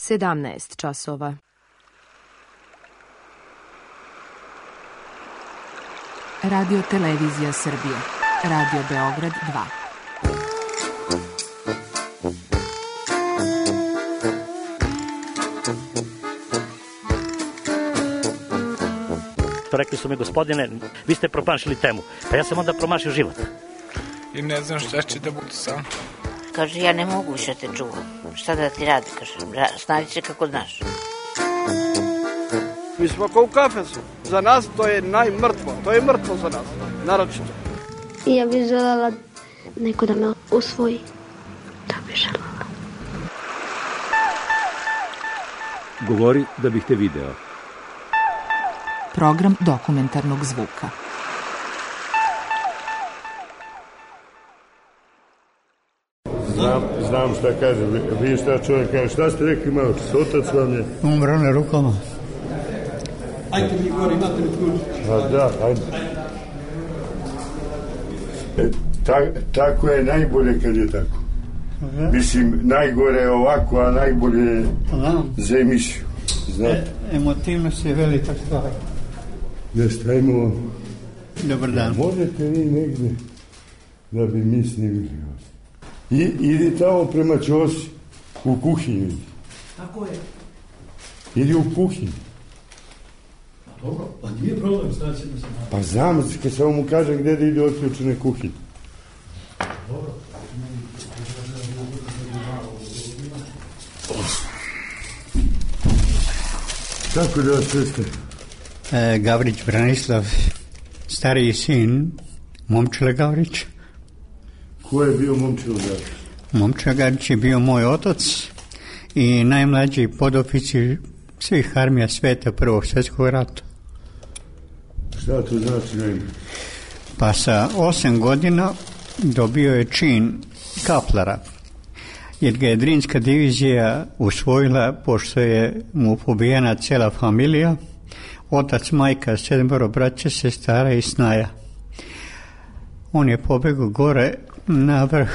17 časova. Radio Televizija Srbije. Radio Beograd 2. Rekli su mi, gospodine, vi ste promašili temu. Pa ja sam onda promašio život. I ne znam šta će da bude sam. Kaže, ja ne mogu više te čuvam. Šta da ti radi, kaže, snađi se kako znaš. Mi smo kao u kafesu. Za nas to je najmrtvo. To je mrtvo za nas, naročito. I ja bih željela neko da me usvoji. To bih željela. Govori da bih te video. Program dokumentarnog zvuka. Znam šta kaže. Vi šta čovjek kaže? Šta ste rekli malo? Otac vam je? Umro na rukama. Ajde mi gore, imate mi ključ. A da, ajde. Tako je najbolje kad je tako. Mislim, najgore je ovako, a najbolje je za emisiju. Emotivnost je velika stvar. Jeste, ajmo. Dobar dan. Možete vi negdje da bi mi snimili vas? Idi tamo prema Ćosi, u kuhinju. Tako je. Idi u kuhinju. Dobro, pa nije problem, znači da se... Pa znam, kad samo mu kažem gdje da ide otključene kuhinje. Dobro. Tako da vas jeste? Gavrić Branislav, stariji sin Momčila Gavrić. Ko je bio Momčilo Gavrić? Momčilo Gavrić je bio moj otac i najmlađi podoficir svih armija sveta Prvog svjetskog rata. Šta to znači na ime? Pa sa 8 godina dobio je čin kaplara, jer ga je Drinska divizija usvojila, pošto je mu pobijena cijela familija, otac, majka, 7 braće, sestara i snaja. On je pobegao gore na vrh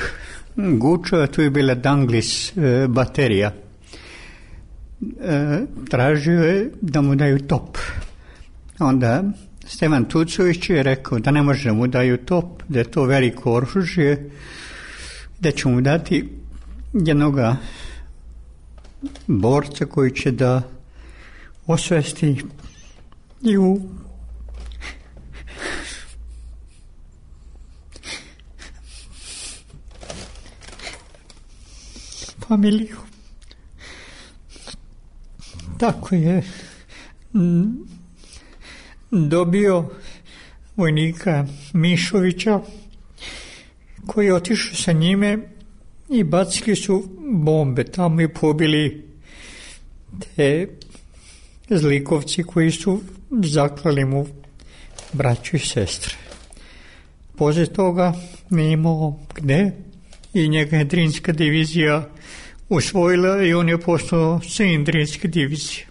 Gučeva, tu je bila Danglis baterija. Tražio je da mu daju top. Onda Stevan Tucović je rekao da ne može da mu daju top, da je to veliko oružje, da će mu dati jednoga borca koji će da osvesti i u familiju. Tako je dobio vojnika Mišovića koji je otišao sa njime i bacili su bombe tamo i pobili te zlikovci koji su zaklali mu braću i sestre. Poslije toga nije imao gde i njega je Drinska divizija usvojila i on je postao sin Drinske divizije.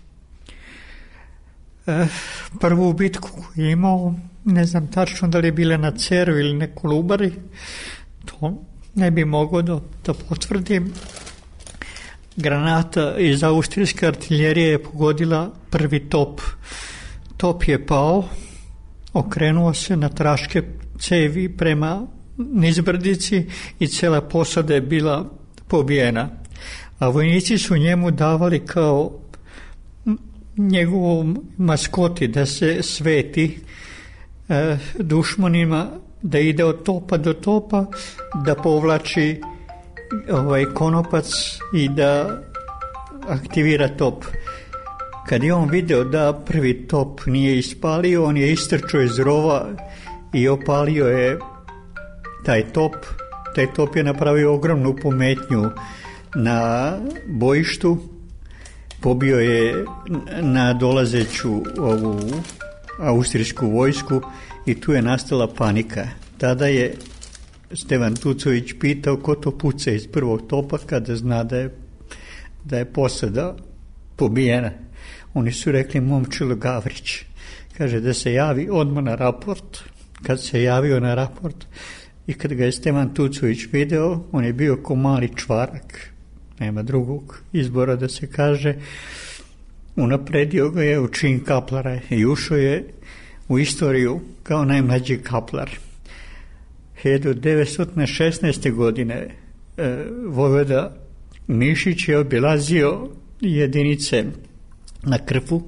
Prvu bitku koju je imao, ne znam tačno da li je bila na Ceru ili na Kolubari, to ne bi mogao da potvrdim. Granata iz austrijske artiljerije je pogodila prvi top. Top je pao, okrenuo se na traške cevi prema nizbrdici i cela posada je bila pobijena. A vojnici su njemu davali kao njegovom maskoti da se sveti dušmanima, da ide od topa do topa, da povlači konopac i da aktivira top. Kad je on video da prvi top nije ispalio, on je istrčao iz rova i opalio je taj top. Taj top je napravio ogromnu pometnju na bojištu, pobio je na dolazeću ovu austrijsku vojsku i tu je nastala panika. Tada je Stevan Tucović pitao ko to puca iz prvog topa kada zna da je posada pobijena. Oni su rekli Momčilo Gavrić. Kaže da se javi odmah na raport. Kad se javio na raport i kad ga je Stevan Tucović video, on je bio ko mali čvarak. nema drugog izbora da se kaže, unapredio ga je u čin kaplara i ušao je u istoriju kao najmlađi kaplar. 1916. godine vojvoda Mišić je obilazio jedinice na Krfu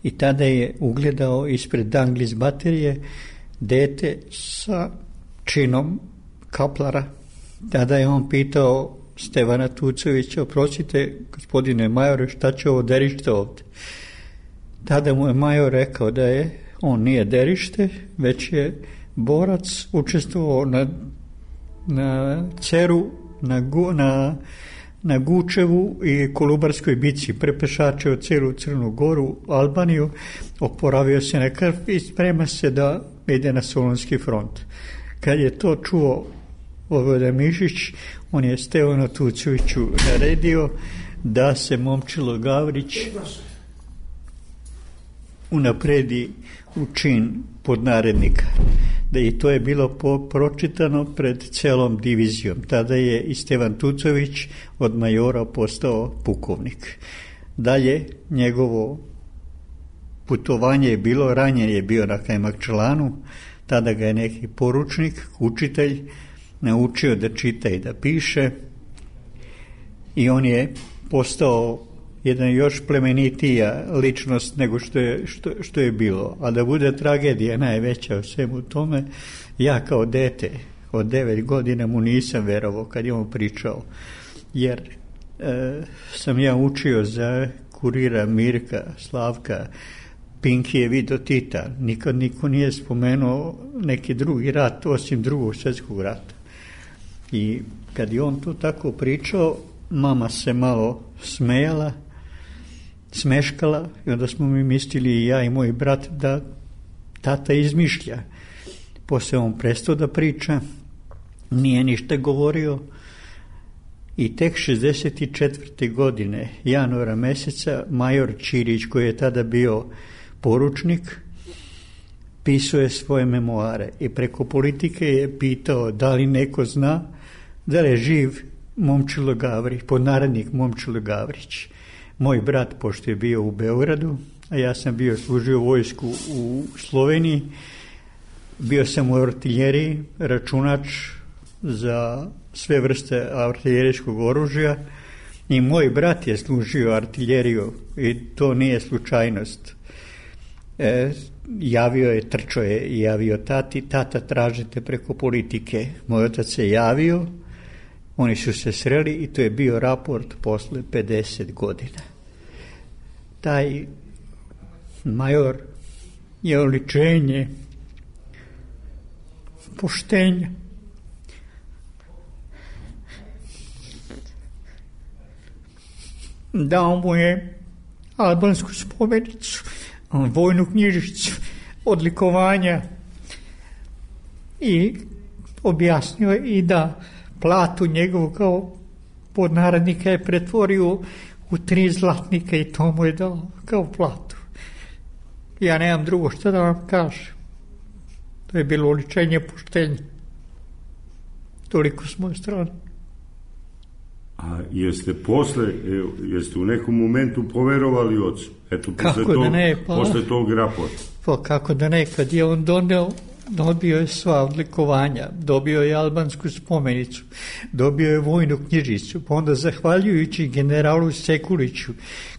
i tada je ugledao ispred Danglis baterije dete sa činom kaplara. Tada je on pitao Stevana Tucovića, oprostite, gospodine majore, šta će ovo derište ovdje? Tada mu je major rekao da je on nije derište, već je borac, učestvovao na Ceru, na Gučevu i Kolubarskoj bici, prepešačio celu Crnu Goru, Albaniju, oporavio se na krv i sprema se da ide na Solunski front. Kad je to čuo vojvoda Mišić, on je Stevanu Tucoviću naredio da se Momčilo Gavrić unapredi u čin podnarednika. Da i to je bilo pročitano pred celom divizijom. Tada je i Stevan Tucović od majora postao pukovnik. Dalje njegovo putovanje je bilo, ranjen je bio na Kajmakčalanu, tada ga je neki poručnik, učitelj, naučio da čita i da piše i on je postao jedan još plemenitija ličnost nego što je bilo. A da bude tragedija najveća u svemu tome, ja kao dete od 9 godina mu nisam verovao kad je on pričao, jer sam ja učio za kurira Mirka, Slavka, Pinkijev i do Tita. Nikad niko nije spomenuo neki drugi rat osim Drugog svjetskog rata. I kad je on to tako pričao, mama se malo smeškala i onda smo mi mislili i ja i moj brat da tata izmišlja. Poslije on prestao da priča, nije ništa govorio i tek 64. godine, januara meseca, major Ćirić, koji je tada bio poručnik, pisao je svoje memoare i preko politike je pitao da li neko zna da je živ Momčilo Gavrić, podnarednik Momčilo Gavrić. Moj brat, pošto je bio u Beogradu, a ja sam služio vojsku u Sloveniji, bio sam u artiljeriji, računač za sve vrste artiljerijskog oružja i moj brat je služio artiljeriju i to nije slučajnost. Trčao je i javio tata tražite preko politike. Moj otac se javio, oni su se sreli i to je bio raport posle 50 godina. Taj major je oličenje poštenja. Dao mu je albansku spomenicu, vojnu knjižicu, odlikovanja i objasnio je i da platu njegovu kao podnarednika je pretvorio u 3 zlatnika i to mu je dao kao platu. Ja nemam drugo što da vam kažem. To je bilo oličenje poštenja. Toliko s moje strane. A jeste u nekom momentu poverovali ocu? Eto, posle tog raporta. Pa kako da ne, kad je on dobio je sva odlikovanja, dobio je albansku spomenicu, dobio je vojnu knjižicu, pa onda zahvaljujući generalu Sekuliću,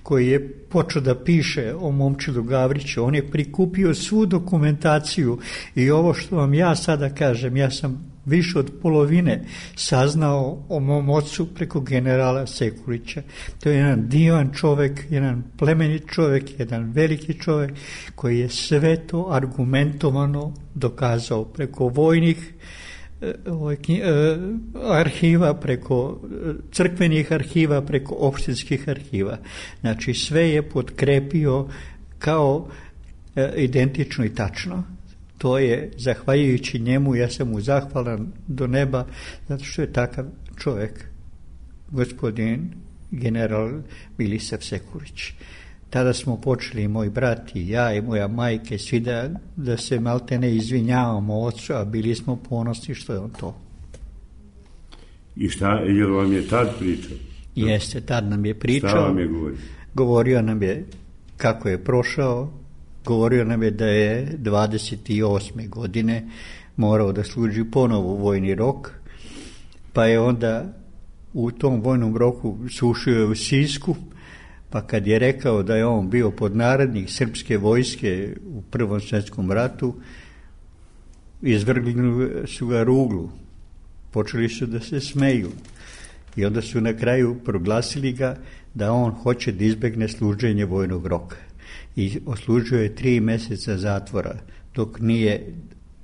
koji je počeo da piše o Momčilu Gavriću, on je prikupio svu dokumentaciju i ovo što vam ja sada kažem, ja sam više od polovine saznao o mom ocu preko generala Sekulića. To je jedan divan čovjek, jedan plemenit čovjek, jedan veliki čovjek koji je sve to argumentovano dokazao preko vojnih arhiva, preko crkvenih arhiva, preko opštinskih arhiva. Znači sve je potkrepio kao identično i tačno. To je, zahvaljujući njemu, ja sam mu zahvalan do neba, zato što je takav čovjek, gospodin general Milisav Sekulić. Tada smo počeli, moj brat i ja i moja majka, svi da se malte ne izvinjavamo ocu, a bili smo ponosni što je on to. I šta, jel vam je tad pričao? Jeste, tad nam je pričao. Šta vam je govorio? Govorio nam je kako je prošao, govorio nam je da je 28. godine morao da služi ponovo vojni rok, pa je onda u tom vojnom roku sušio u Sisku, pa kad je rekao da je on bio podnarednik srpske vojske u Prvom svjetskom ratu, izvrgli su ga ruglu, počeli su da se smeju i onda su na kraju proglasili ga da on hoće da izbegne služenje vojnog roka i oslužio je 3 mjeseca zatvora dok nije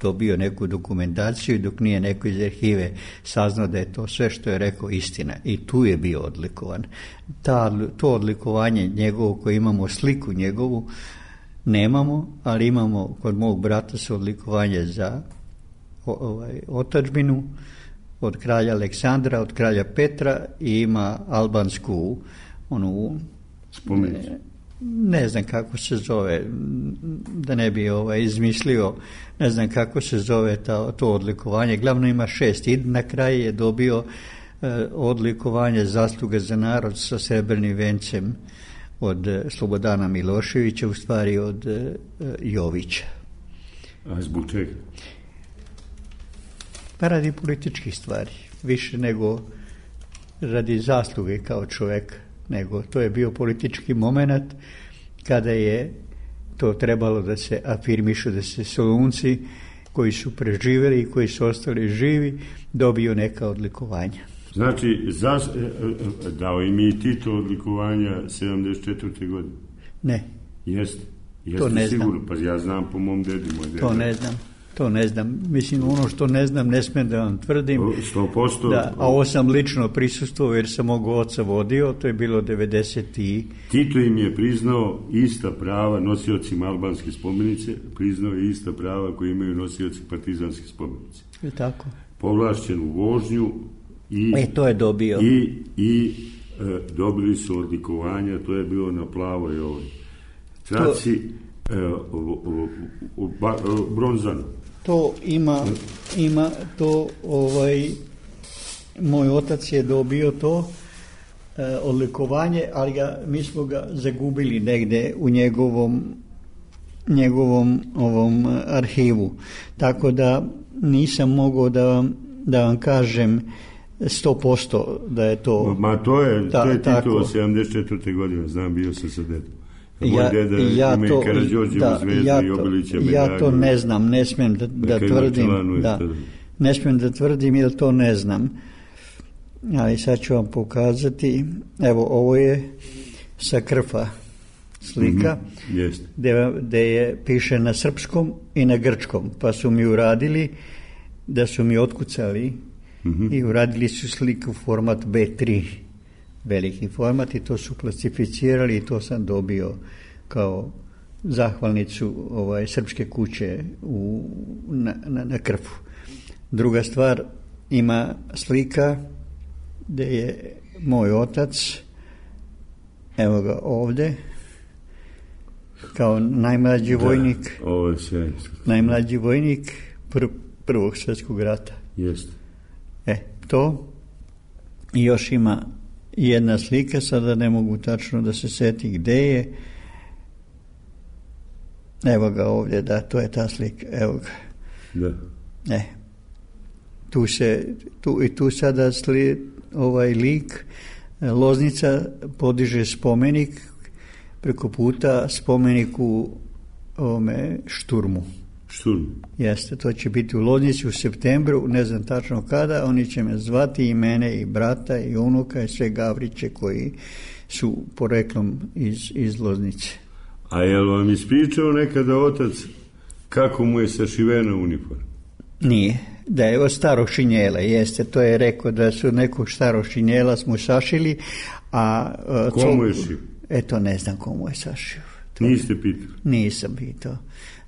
dobio neku dokumentaciju i dok nije neko iz arhive saznao da je to sve što je rekao istina i tu je bio odlikovan. To odlikovanje njegovo koje imamo sliku njegovu nemamo, ali imamo kod mog brata su odlikovanje za otadžbinu od kralja Aleksandra, od kralja Petra i ima albansku onu spomenicu. Ne znam kako se zove, da ne bi izmislio, ne znam kako se zove to odlikovanje. Glavno ima 6 i na kraju je dobio odlikovanje zasluge za narod sa srebrnim vencem od Slobodana Miloševića, u stvari od Jovića. A zbog čega? Pa radi političkih stvari, više nego radi zasluge kao čovjek, nego to je bio politički moment kada je to trebalo da se afirmišu, da se Solunci koji su preživjeli i koji su ostali živi dobiju neka odlikovanja. Znači, dao im i Tito odlikovanja 74. godine? Ne. Jeste to ne sigurno, znam. Pa ja znam po mom dedi, moj deda. To ne znam. Mislim, ono što ne znam, ne smijem da vam tvrdim. 100%. Da, a ovo sam lično prisustvovao jer sam mog oca vodio, to je bilo 90. Tito im je priznao ista prava nosiocima albanske spomenice, priznao je ista prava koje imaju nosioci partizanske spomenice. Je tako? Povlašćenu vožnju i... to je dobio. I dobili su odlikovanja, to je bilo na plavoj traci bronzanu. To ima to moj otac je dobio to odlikovanje, ali mi smo ga zagubili negdje u njegovom ovom arhivu. Tako da nisam mogao da vam kažem 100% da je to... Ma to je Tito 74. godine, znam, bio sam sa dedom. Moj deda ima i Karađorđevu zvezdu i Obilića medalju. Ja to ne znam, ne smijem da tvrdim. Ne smijem da tvrdim jer to ne znam. Ali sad ću vam pokazati. Evo, ovo je sa Krfa slika, gdje piše na srpskom i na grčkom. Pa su mi uradili, da su mi otkucali i uradili su sliku format B3. Veliki format i to su klasificirali i to sam dobio kao zahvalnicu srpske kuće na Krfu. Druga stvar, ima slika gdje je moj otac, evo ga ovdje, kao najmlađi vojnik, najmlađi vojnik Prvog svjetskog rata. Jeste. To i još ima jedna slika, sada ne mogu tačno da se seti gdje je. Evo ga ovdje, da, to je ta slika, evo ga. Da. Tu sada lik, Loznica podiže spomenik, preko puta spomeniku ovome Šturmu. Jeste, to će biti u Loznici u septembru, ne znam tačno kada, oni će me zvati i mene i brata i unuka i sve Gavriće koji su poreklom iz Loznice. A je li vam ispričao nekada otac kako mu je sašivena uniforma? Nije, da je od starog šinjela, jeste, to je rekao da su nekog starog šinjela smo sašili, a... Komu je šio? Eto, ne znam komu je sašio. Niste pitali? Nisam pitao.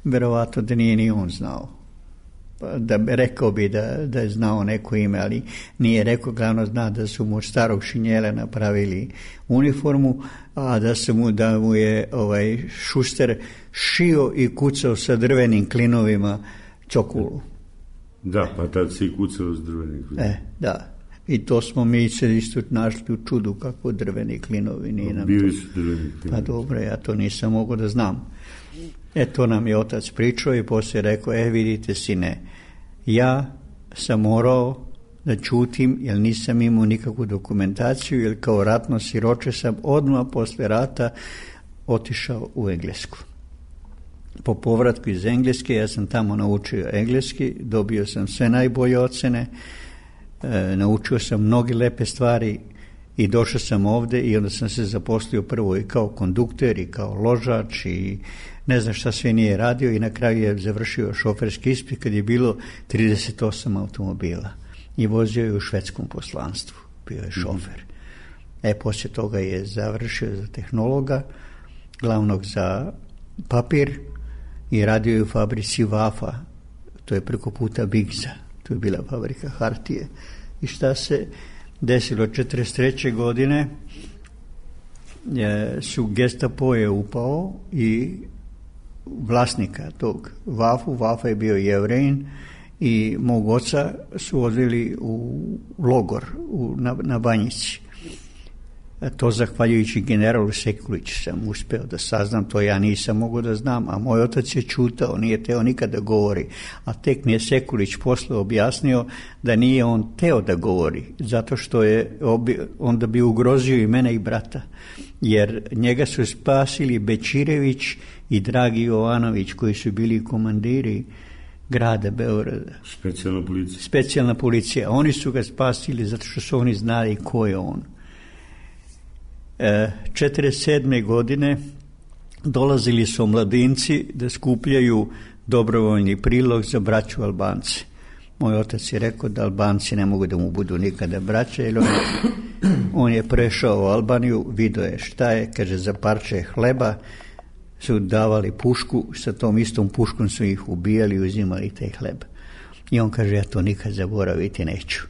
Verovatno da nije ni on znao. Rekao bi da je znao neko ime, ali nije rekao, glavno zna da su mu starog šinjela napravili uniformu, a da mu je Šuster šio i kucao sa drvenim klinovima cokulu. Da, pa tad si kucao s drvenim klinovima. Da. I to smo mi se isto našli u čudu kako drveni klinovi. Nije nam bili to... su drveni klinovi. Pa dobro, ja to nisam mogao da znam. To nam je otac pričao i poslije rekao, vidite sine, ja sam morao da čutim jer nisam imao nikakvu dokumentaciju, jer kao ratno siroče sam odmah posle rata otišao u Englesku. Po povratku iz Engleske ja sam tamo naučio engleski, dobio sam sve najbolje ocene, naučio sam mnoge lepe stvari i došao sam ovde i onda sam se zaposlio prvo i kao kondukter i kao ložač i ne znam šta sve nije radio i na kraju je završio šoferski ispit kad je bilo 38 automobila i vozio je u švedskom poslanstvu, bio je šofer. Poslije toga je završio za tehnologa, glavnog za papir i radio je u fabrici Vafa, to je preko puta Bigza, to je bila fabrika hartije. I šta se desilo 1943. godine, su Gestapo je upao i vlasnika tog Vafa je bio Jevrejin i mog oca su odveli u logor na Banjici. To zahvaljujući generalu Sekuliću sam uspeo da saznam, to ja nisam mogao da znam, a moj otac je čutao, nije teo nikada govori, a tek mi je Sekulić posle objasnio da nije on teo da govori, zato što je onda bi ugrozio i mene i brata, jer njega su spasili Bečirević i Dragi Jovanović koji su bili komandiri grada Beograda. Specijalna policija. Oni su ga spasili zato što su oni znali ko je on. 1947. godine dolazili su mladinci da skupljaju dobrovoljni prilog za braću Albance. Moj otac je rekao da Albanci ne mogu da mu budu nikada braća, jer on je prešao u Albaniju, vidio je šta je, kaže, za parče hleba su davali pušku, sa tom istom puškom su ih ubijali i uzimali taj hleb. I on kaže, ja to nikad zaboraviti neću.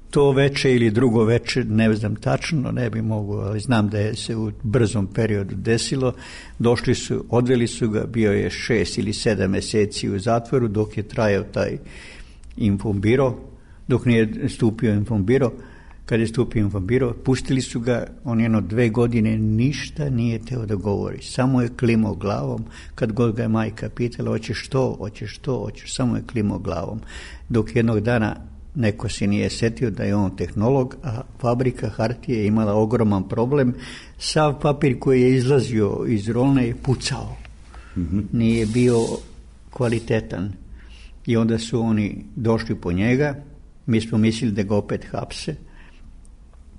To veče ili drugo veče, ne znam tačno, ne bi mogu, ali znam da je se u brzom periodu desilo. Došli su, odveli su ga, bio je 6 ili 7 meseci u zatvoru dok je trajao taj infombiro, dok nije stupio infombiro. Kad je stupio infombiro, pustili su ga, on 2 godine ništa nije teo da govori, samo je klimao glavom. Kad god ga je majka pitala, hoćeš to, samo je klimao glavom. Dok jednog dana neko se nije setio da je on tehnolog, a fabrika hartije je imala ogroman problem. Sav papir koji je izlazio iz rolne je pucao. Nije bio kvalitetan. I onda su oni došli po njega, mi smo mislili da ga opet hapse.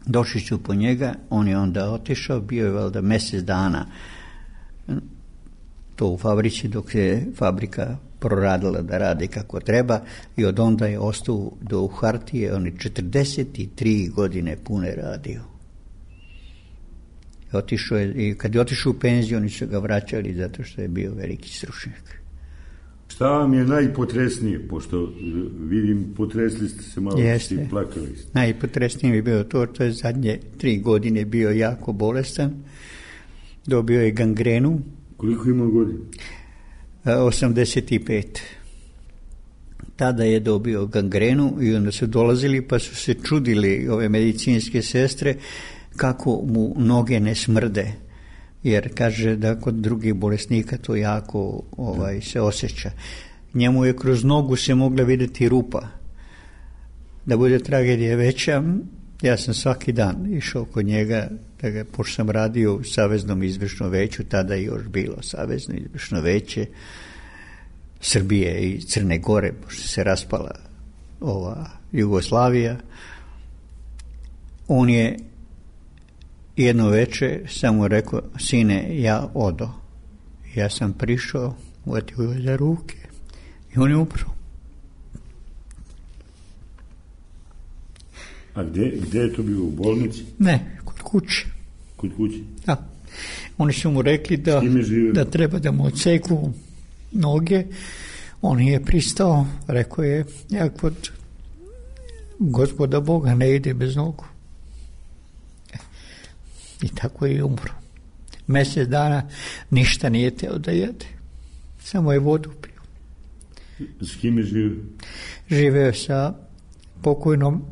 Došli su po njega, on je onda otišao, bio je valjda mjesec dana to u fabrici dok je fabrika proradila da radi kako treba i od onda je ostao do hartije, on je 43 godine pune radio. Otišao je, i kad je otišao u penziju, oni su ga vraćali zato što je bio veliki stručnjak. Šta vam je najpotresnije, pošto vidim potresli ste se malo, ste plakali. Najpotresnije mi je bilo to što je zadnje 3 godine bio jako bolestan, dobio je gangrenu. Koliko ima godina? 85. Tada je dobio gangrenu i onda su dolazili pa su se čudili ove medicinske sestre kako mu noge ne smrde, jer kaže da kod drugih bolesnika to jako se osjeća. Njemu je kroz nogu se mogla vidjeti rupa. Da bude tragedija veća, ja sam svaki dan išao kod njega, pošto sam radio u Saveznom izvršnom veću, tada je još bilo Savezno izvršno veće Srbije i Crne Gore, pošto se raspala ova Jugoslavija. On je jedno veče samo rekao, sine, ja odo. Ja sam prišao, uvatio ga za ruke i on je umro. A gdje je to bilo, u bolnici? Ne, kod kuće. Kod kuće? Da. Oni su mu rekli da treba da mu odseku noge. On je pristao, rekao je, ja kod Gospoda Boga ne ide bez nogu. I tako je umro. Mjesec dana ništa nije teo da jede. Samo je vodu pio. S kim je živio? Živeo sa pokojnom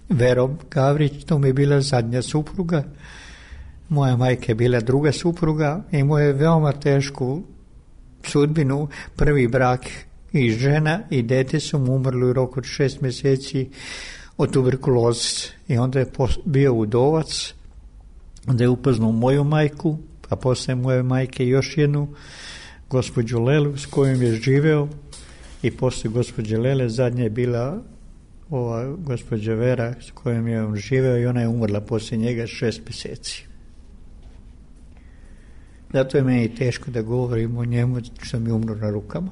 Verom Gavrić, to mi je bila zadnja supruga. Moja majka je bila druga supruga i moje veoma tešku sudbinu, prvi brak i žena i dete su mu umrli u roku od 6 mjeseci od tuberkuloze. I onda je bio udovac, onda je upoznao moju majku, a poslije moje majke još jednu, gospođu Lelu, s kojom je živeo, i poslije gospođe Lele zadnja je bila ova gospođa Vera s kojom je on živeo i ona je umrla poslije njega 6 mjeseci. Zato je meni teško da govorim o njemu što mi umro na rukama.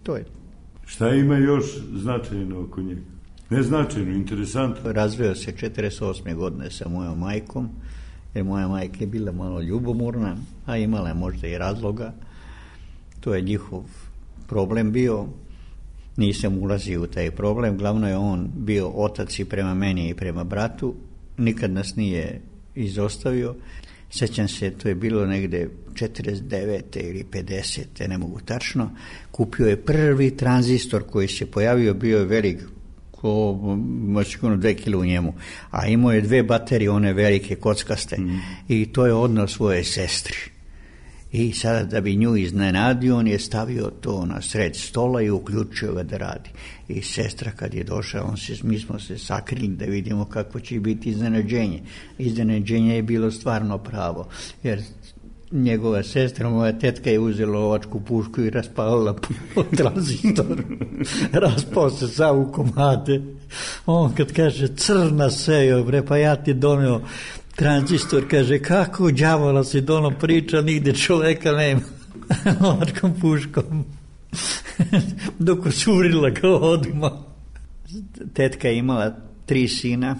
To je. Šta ima još značajno oko njega? Neznačajno, interesantno. Razveo se 48. godine sa mojom majkom, jer moja majka je bila malo ljubomorna, a imala je možda i razloga. To je njihov problem bio. Nisam ulazio u taj problem. Glavno je on bio otac i prema meni i prema bratu. Nikad nas nije izostavio. Sjećam se, to je bilo negde 49. ili 50. ne mogu tačno. Kupio je prvi tranzistor koji se pojavio, bio je velik, sigurno 2 kg u njemu, a imao je 2 baterije, one velike, kockaste, i to je odneo svoje sestri. I sada da bi nju iznenadio, on je stavio to na sred stola i uključio ga da radi. I sestra kad je došla, mi smo se sakrili da vidimo kako će biti iznenađenje. Iznenađenje je bilo stvarno pravo, jer njegova sestra, moja tetka, je uzela lovačku pušku i raspalila po tranzistoru. Raspao se sav u komade. On kad kaže crna sejo, bre, pa ja ti doneo tranzistor, kaže, kako đavola si dono priča, nigde čoveka nema. Lovačkom puškom. Dok osurila ga odmah. Tetka je imala 3 sina,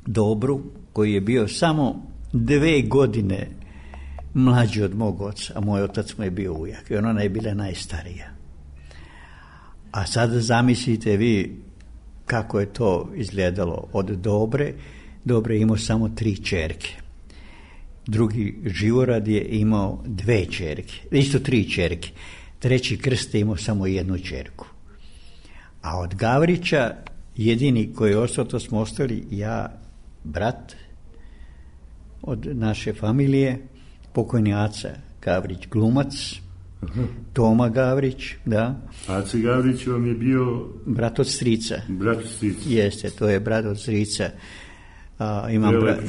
Dobru, koji je bio samo 2 godine mlađi od mog oca, a moj otac mu je bio ujak i ona je bila najstarija. A sada zamislite vi kako je to izgledalo od Dobre. Dobre je imao samo 3 ćerke. Drugi Živorad je imao 2 ćerke, isto 3 ćerke. Treći Krst je imao samo 1 ćerku. A od Gavrića jedini koji je ostao, to smo ostali ja, brat od naše familije, pokojni Aca Gavrić, glumac, Toma Gavrić, da. Aca Gavrić vam je bio brat od strica. Brat od strica. Jeste, to je brat od strica.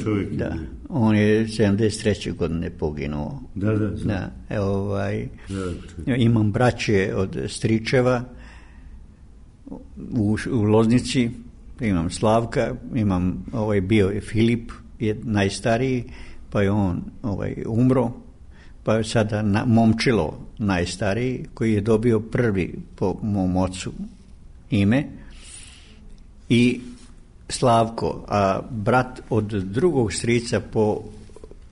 Čovjek. Da. On je 73. godine poginuo. Da. Imam braće od stričeva u Loznici, imam Slavka, imam bio je Filip, je najstariji, pa je on umro, pa je sada Momčilo najstariji, koji je dobio prvi po mom ocu ime, i Slavko, a brat od drugog strica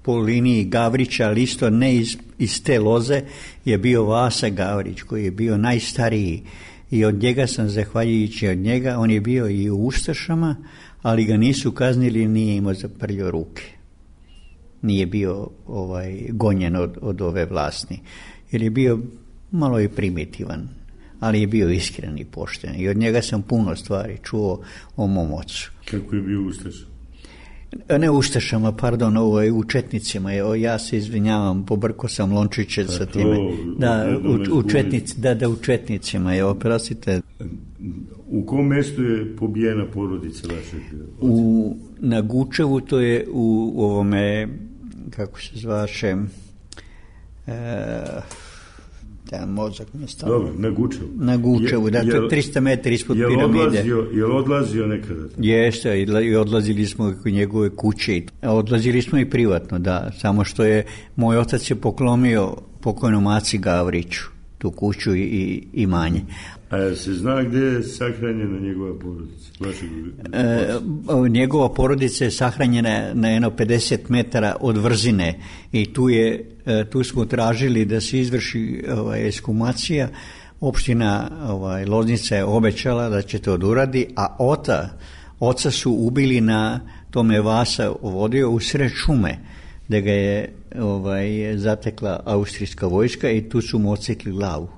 po liniji Gavrića, ali isto ne iz te loze, je bio Vasa Gavrić, koji je bio najstariji, i od njega sam, zahvaljujući od njega, on je bio i u ustašama, ali ga nisu kaznili, nije imao zaprljao ruke. Nije bio gonjen od ove vlasti, jer je bio malo i primitivan, ali je bio iskren i pošten. I od njega sam puno stvari čuo o mom ocu. Kako je bio ustaša? Ne ustašama, pardon, u četnicima. Ja se izvinjavam, pobrko sam lončiće sa time. U četnicima je, oprostite. U kom mjestu je pobijena porodica vašeg oca? Na Gučevu, to je u ovome, kako se zvaše, mozak mi je stavio. Dobro, na Gučevu. Na Gučevu, to je 300 metara ispod piramide. Je li odlazio nekada? Jeste, i odlazili smo u njegove kuće. Odlazili smo i privatno, da. Samo što je moj otac je poklonio pokojnom Aci Gavriću tu kuću i imanje. A se zna gdje je sahranjena njegova porodica? Njegova porodica je sahranjena na jedno 50 metara od Vrzine i tu smo tražili da se izvrši ekshumacija. Opština Loznica je obećala da će to uradi, a oca su ubili na tome Vasa vodio u sred šume, da ga je zatekla austrijska vojska i tu su mu odsekli glavu.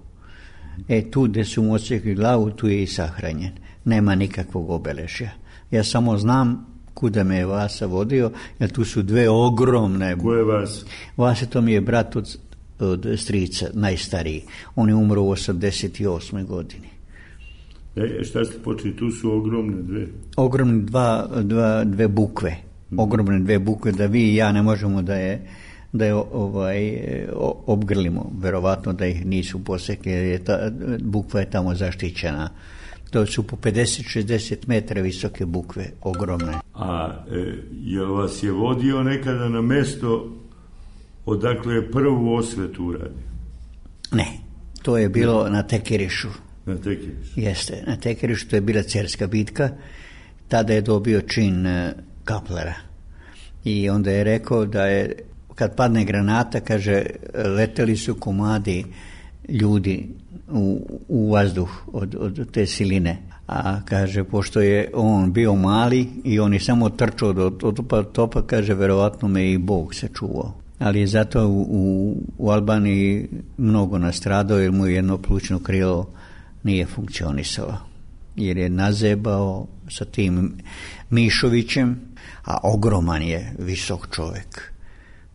Tu gdje su mu odsjekli glavu, tu je i sahranjen. Nema nikakvog obeležja. Ja samo znam kuda me je Vasa vodio, jer tu su dve ogromne... Ko je Vasa? Vasa, to mi je brat od strica, najstariji. On je umro u 88. godini. Šta ste počeli? Tu su ogromne dve? Ogromne dve bukve. Ogromne dve bukve, da vi i ja ne možemo da je obgrlimo. Verovatno da ih nisu posekli, jer bukva je tamo zaštićena. To su po 50-60 metara visoke bukve, ogromne. A je vas je vodio nekada na mesto odakle je prvu osvetu uradio? Ne, to je bilo na Tekerišu. Na Tekerišu? Jeste, na Tekerišu, to je bila Cerska bitka. Tada je dobio čin kaplera. I onda je rekao da je, kad padne granata, kaže, leteli su komadi ljudi u vazduh od te siline. A kaže, pošto je on bio mali i on je samo trčao do topa, kaže, verovatno me i Bog sačuvao. Ali je zato u Albaniji mnogo nastradao, jer mu jedno plućno krilo nije funkcionisalo. Jer je nazebao sa tim Mišovićem, a ogroman je visok čovjek.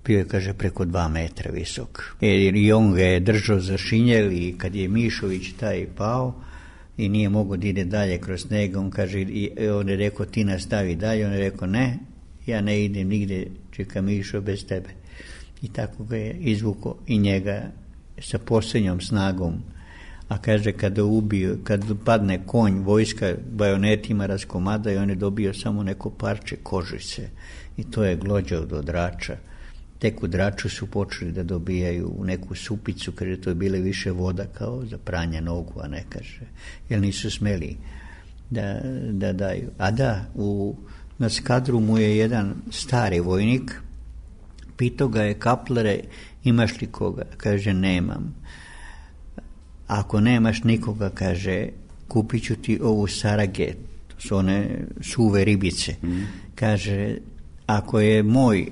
Bio je, kaže, preko 2 metra visok. Jer i on ga je držao za šinjel i kad je Mišović taj pao i nije mogao da ide dalje kroz njega, on kaže, on je rekao, ti nastavi dalje, on je rekao, ne, ja ne idem nigde, čeka Mišo bez tebe. I tako ga je izvukao i njega sa posljednjom snagom. A kaže, kad padne konj, vojska bajonetima raskomada i on je dobio samo neko parče kožice. I to je glođao do Drača. Tek u Draču su počeli da dobijaju neku supicu, kaže, to je bile više voda kao za pranje nogu, a ne, kaže, jer nisu smeli da daju. A da, na skadru mu je jedan stari vojnik, pitao ga je, kaplere, imaš li koga? Kaže, nemam. Ako nemaš nikoga, kaže, kupit ću ti ovu sarage, to su one suve ribice. Kaže, ako je moj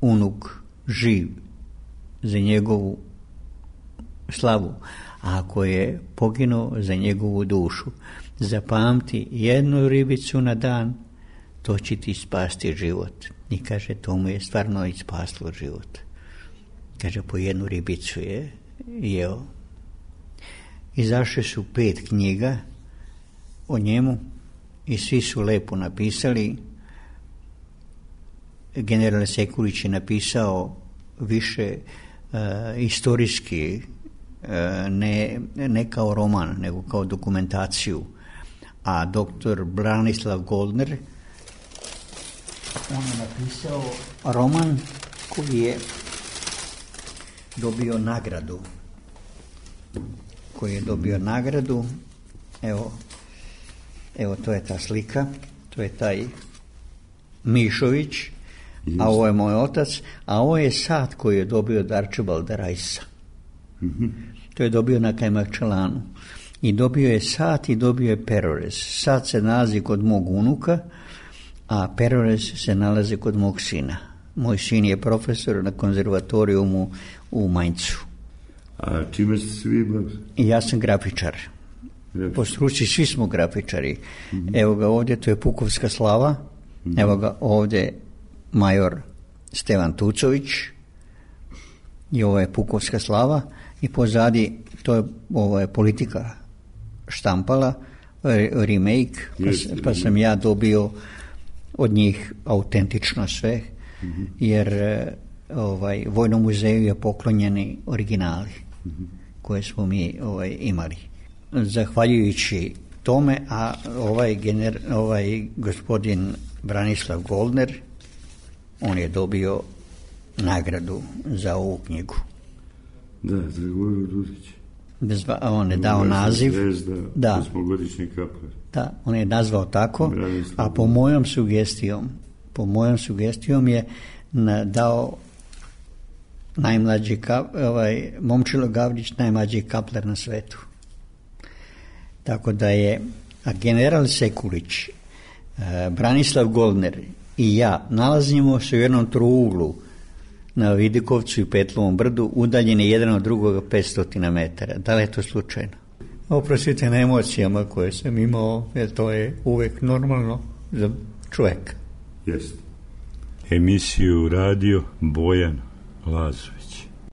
unuk živ, za njegovu slavu, a ako je poginuo, za njegovu dušu, zapamti, jednu ribicu na dan, to će ti spasti život. I kaže, to mu je stvarno i spaslo život. Kaže, po jednu ribicu je jeo. Izašle su 5 knjiga o njemu i svi su lepo napisali. General Sekulić je napisao više istorijski, ne kao roman, nego kao dokumentaciju. A doktor Branislav Goldner, on je napisao roman koji je dobio nagradu. Evo, to je ta slika, to je taj Mišović, a ovo je moj otac, a ovo je sat koji je dobio od Arčibalda Rajsa. To je dobio na Kajmakčalanu. I dobio je sat i dobio je perorez. Sat se nalazi kod mog unuka, a perorez se nalazi kod mog sina. Moj sin je profesor na konzervatorijumu u Maincu. A čime ste se vi bavili? Ja sam grafičar. Po struci svi smo grafičari. Evo ga ovdje, to je Pukovska slava. Evo ga ovdje major Stevan Tucović. I ovo je Pukovska slava. I pozadi, ovo je Politika štampala, remake, pa sam ja dobio od njih autentično sve, jer Vojnom muzeju je poklonjeni originali koje smo mi imali. Zahvaljujući tome, a ovaj gospodin Branislav Goldner, on je dobio nagradu za ovu knjigu. Da, Dragojlo Dudić. On je dao naziv. Da, osmogodišnji kaplar. Da, on je nazvao tako, a po mojom sugestijom je dao najmlađi Momčilo Gavrić, najmlađi kaplar na svetu. Tako da je general Sekulić, Branislav Goldner i ja nalazimo se u jednom trouglu na Vidikovcu i Petlovom brdu, udaljeni jedan od drugoga 500 metara. Da li je to slučajno? oprostite na emocijama koje sam imao, jer to je uvek normalno za čovjeka. Jest. Emisiju radio Bojan Lazović.